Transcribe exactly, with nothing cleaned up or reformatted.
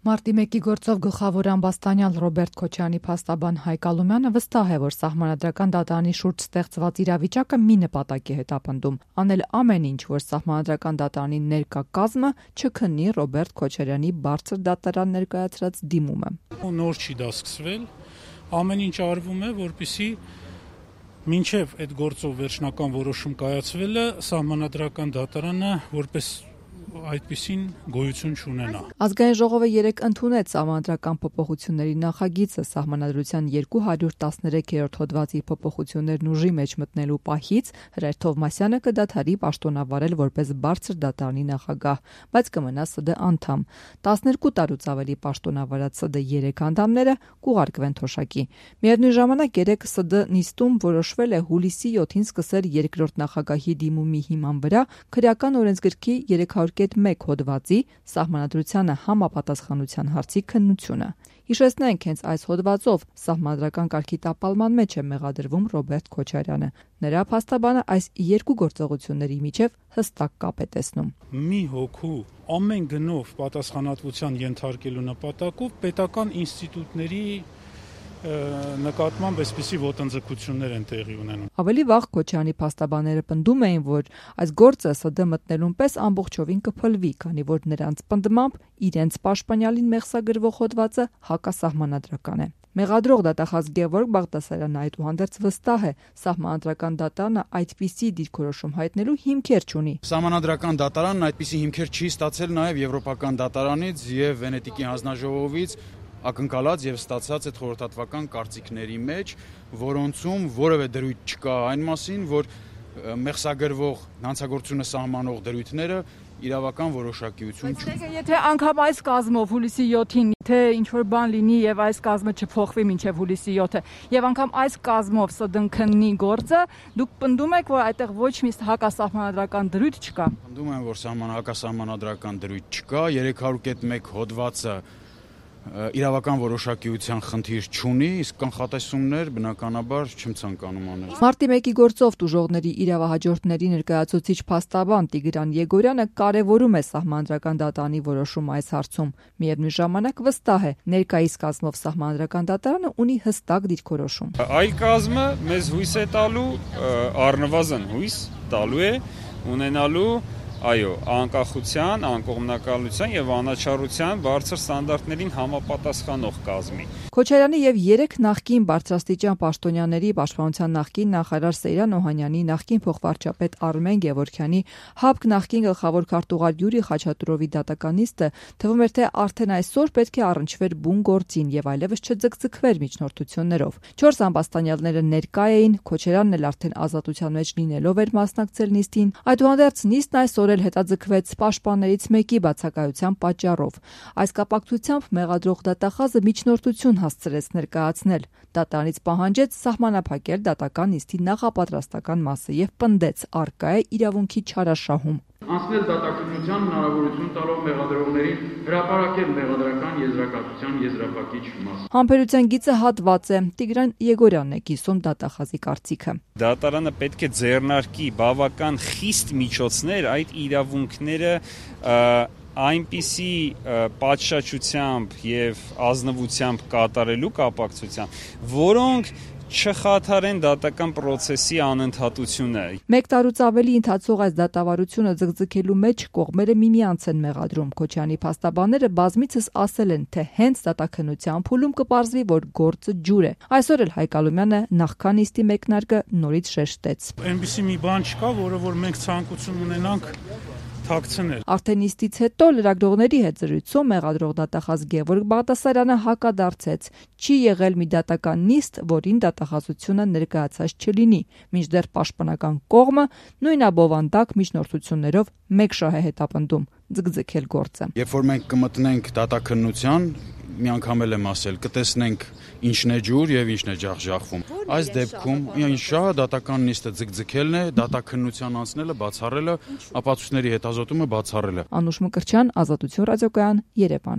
Մարտի մեկի գործով գլխավոր ամբաստանյալ Ռոբերտ Քոչարյանի փաստաբան Հայկ Ալումյանը վստահ է, որ Սահմանադրական դատարանի շուրջ ստեղծված իրավիճակը մի նպատակի հետ ապնդում՝ անել ամեն ինչ, որ Սահմանադրական դատարանի ներկա կազմը չքննի Ռոբերտ Քոչարյանի բարձր դատարան ներկայացրած դիմումը։ Նոր չի դա սկսվել, ամեն ինչ արվում է, որպեսզի մինչև այդ գործով վերջնական որոշում կայացվելը Սահմանադրական դատարանը որպես այդպիսին գոյություն չունենա։ Ազգային ժողովը երեկ ընդունեց Սահմանադրական փոփոխությունների նախագիծը Սահմանադրության երկու հարյուր տասներեքերորդ հոդվածի փոփոխություններն ուժի մեջ մտնելու պահից Հրայր Թովմասյանը կդադարի պաշտոնավարել որպես բարձր դատարանի նախագահ, բայց կմնա ՍԴ անդամ։ տասներկու տարուց ավելի պաշտոնավարած ՍԴ երեք անդամները կուղարկվեն թոշակի։ Միևնույն ժամանակ երեկ ՍԴ նիստում որոշվել է հուլիսի յոթին սկսել երկրորդ նախագահի դիմումի հիման վրա քրեական օրենսգրքի երեք հարյուր մեկ հոդվածի Սահմանադրությանը համապատասխանության հարցի քննությունը։ Հիշեցնենք, հենց այս հոդվածով Սահմանադրական կարգի տապալման մեջ է մեղադրվում Ռոբերտ Քոչարյանը։ Նրա փաստաբանը այս երկու գործողությունների միջև հստակ կապ է տեսնում։ Մի հոգու ամեն գնով պատասխանատվության ենթարկելու նպատակով պետական ինստիտուտների նկատմամբ այսպիսի ոտնձգություններ են տեղի ունենում։ Ավելի վաղ Քոչարյանի փաստաբանները պնդում էին, որ այս գործը ՍԴ մտնելուն պես ամբողջովին կփլվի, քանի որ նրանց պնդմամբ իրենց պաշտպանյալին մեղսագրվող հոդվածը հակասահմանադրական է։ Մեղադրող դատախազ Գևորգ Բաղդասարյանը այդուհանդերձ վստահ է, Սահմանադրական դատարանը այդպիսի դիրքորոշում հայտնելու հիմքեր չունի։ Սահմանադրական դատարանն այդպիսի հիմքեր չի ստացել նաև Եվրոպական դատարանից եւ Վենետիկի հանձնաժողովից ակնկալած եւ ստացած այդ խորհրդատվական կարծիքների մեջ, որոնցում որևէ դրույթ չկա այն մասին, որ մեղսագրվող հանցագործությունը սահմանող դրույթները իրավական որոշակիություն չունեն։ Եթե անգամ այս կազմով հուլիսի յոթին թե ինչ-որ բան լինի եւ այս կազմը չփոխվի մինչեւ հուլիսի յոթը եւ անգամ այս կազմով ՍԴ-ն քննի գործը, դուք պնդում եք, որ այդտեղ ոչ մի հակասահմանադրական դրույթ չկա։ Պնդում եմ, որ հակասահմանադրական դրույթ չկա, երեք հարյուր մեկ հոդվածը իրավական որոշակիության խնդիր չունի, իսկ կանխատեսումներ բնականաբար չեմ ցանկանում անել։ Մարտի մեկի գործով տուժողների իրավահաջորդների ներկայացուցիչ փաստաբան Տիգրան Եգորյանը կարևորում է Սահմանադրական դատարանի որոշումը այս հարցում։ Միևնույն ժամանակ վստահ է, ներկայիս կազմով Սահմանադրական դատարանը ունի հստակ դիրքորոշում։ Այլ կազմը մեզ հույս է տալու, առնվազն հույս տալու է ունենալու այո, անկախության, անկողմնակալության եւ անաչառության բարձր ստանդարտներին համապատասխանող կազմի։ Քոչարյանի եւ երեք նախկին բարձրաստիճան պաշտոնյաների պաշտպանության նախկին նախարար Սեյրան Օհանյանի, նախկին փոխվարչապետ Արմեն Գևորգյանի, ՀԱՊԿ նախկին գլխավոր քարտուղար Յուրի Խաչատուրովի դատականիստը թվում էր, թե արդեն այսօր պետք է առնչվեր բուն գործին եւ այլևս չձգձգվեր միջնորդություններով։ Չորս ամբաստանյալները ներկա էին, Քոչարյանն էլ արդեն ազատության մեջ լինելով էր մասնակցել նիստին։ Այդուհանդերձ նիստն այսօր էլ հետաձգվեց պաշտպաններից մեկի բացակայության պատճառով։ Այս կապակցությամբ մեղադրող դատախազը միջնորդություն հասցրեց ներկայացնել։ Դատարանից պահանջեց սահմանափակել դատական նիստի նախապատրաստական մասը եւ պնդեց առկա է իրավունքի չարաշահում։ Անցնել դատաքննության հնարավորություն տալով մեղադրողներին հրապարակել մեղադրական եզրակացության եզրափակիչ մասը։ Համբերության գիծը հատված է։ Տիգրան Եգորյանն է կիսում դատախազի կարծիքը։ Դատարանը պետք է ձեռնարկի բավական խիստ միջոցներ այդ իրավունքները այնպիսի պատշաճությամբ եւ ազնվությամբ կատարելու կապակցությամբ, որոնք չխաթարեն դատական process-ի անընդհատությունը։ Մեկ տարուց ավելի ընթացող այս դատավարությունը ձգձգելու մեջ կողմերը միմյանց են մեղադրում։ Քոչարյանի փաստաբանները բազմիցս ասել են, թե հենց դատաքննության փուլում կպարզվի, որ գործը ջուր է։ Այսօր էլ Հայկ Ալումյանը նախքան նիստի մեկնարկը նորից շեշտեց։ Այնպիսի մի բան չկա, որը որ մենք ցանկություն ունենանք թաքցնել։ Արդեն նիստից հետո լրագրողների հետ զրույցում մեղադրող դատախազ Գևորգ Բաղդասարյանը հակադարձեց. չի եղել մի դատական նիստ, որին դատախազությունը ներկայացած չլինի, մինչդեռ պաշտպանական կողմը նույն abովանդակ միջնորդություններով մեկ շահ է հետապնդում ձգձգել գործը։ Երբ որ մենք կմտնենք դատաքննության, մի անգամ էլ եմ ասել, կտեսնենք ինչն է ջուր եւ ինչն է ջախջախվում։ Այս դեպքում ինչ շահը դատական նիստը ձգձգելն է, դատաքննության անցնելը, բացառելը, ապացույցների հետազոտումը բացառելը։ Անուշ Մկրտչյան, Ազատություն ռադիոկայան, Երևան։